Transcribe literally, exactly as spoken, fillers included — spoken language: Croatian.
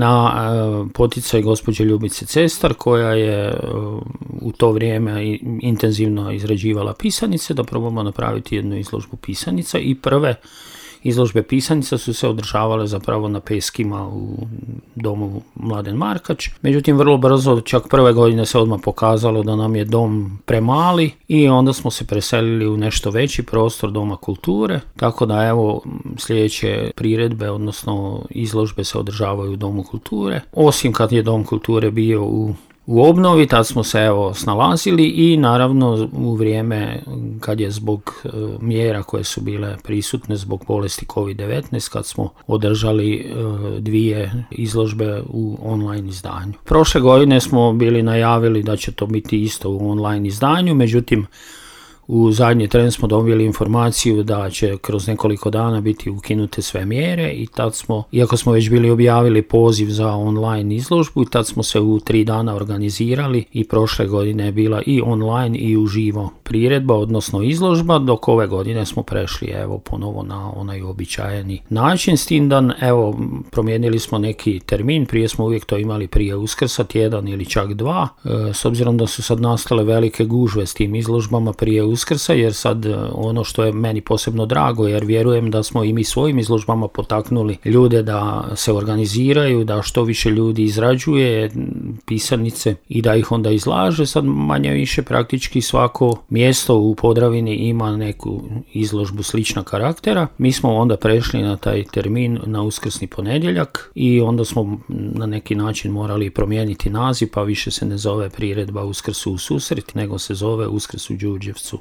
na poticaj gospođe Ljubice Cestar, koja je u to vrijeme intenzivno izrađivala pisanice, da probamo napraviti jednu izložbu pisanica i prve izložbe pisanica su se održavale zapravo na Peskima u domu Mladen Markač. Međutim, vrlo brzo, čak prve godine se odmah pokazalo da nam je dom premali i onda smo se preselili u nešto veći prostor Doma kulture. Tako da evo sljedeće priredbe, odnosno izložbe se održavaju u Domu kulture. Osim kad je Dom kulture bio u U obnovi, tad smo se evo snalazili i naravno u vrijeme kad je zbog e, mjera koje su bile prisutne zbog bolesti kovid devetnaest, kad smo održali e, dvije izložbe u online izdanju. Prošle godine smo bili najavili da će to biti isto u online izdanju, međutim u zadnji tren smo dobili informaciju da će kroz nekoliko dana biti ukinute sve mjere i tad smo, iako smo već bili objavili poziv za online izložbu, tad smo se u tri dana organizirali i prošle godine je bila i online i uživo priredba, odnosno izložba, dok ove godine smo prešli evo ponovo na onaj uobičajeni način, s tim da evo promijenili smo neki termin, prije smo uvijek to imali prije Uskrsa, tjedan ili čak dva, e, s obzirom da su sad nastale velike gužve s tim izložbama prije Uskrsa, Uskrsa, jer sad ono što je meni posebno drago, jer vjerujem da smo i mi svojim izložbama potaknuli ljude da se organiziraju, da što više ljudi izrađuje pisanice i da ih onda izlaže. Sad manje više praktički svako mjesto u Podravini ima neku izložbu slična karaktera. Mi smo onda prešli na taj termin na uskrsni ponedjeljak i onda smo na neki način morali promijeniti naziv, pa više se ne zove priredba Uskrsu u susret, nego se zove Uskrs u Đurđevcu.